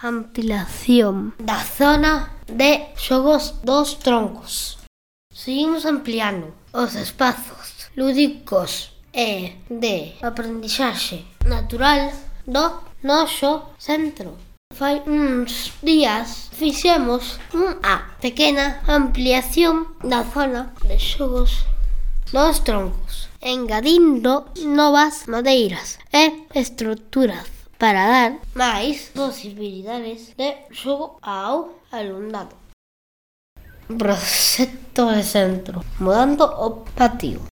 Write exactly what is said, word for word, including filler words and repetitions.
ampliación da zona de xogos dos troncos. Seguimos ampliando os espazos lúdicos e de aprendizaxe natural do noso centro. Fai uns días fixemos unha pequena ampliación da zona de xogos dos troncos, engadindo novas madeiras e estruturas para dar máis posibilidades de xogo ao alumnado. Proxecto de centro, mudando o patio.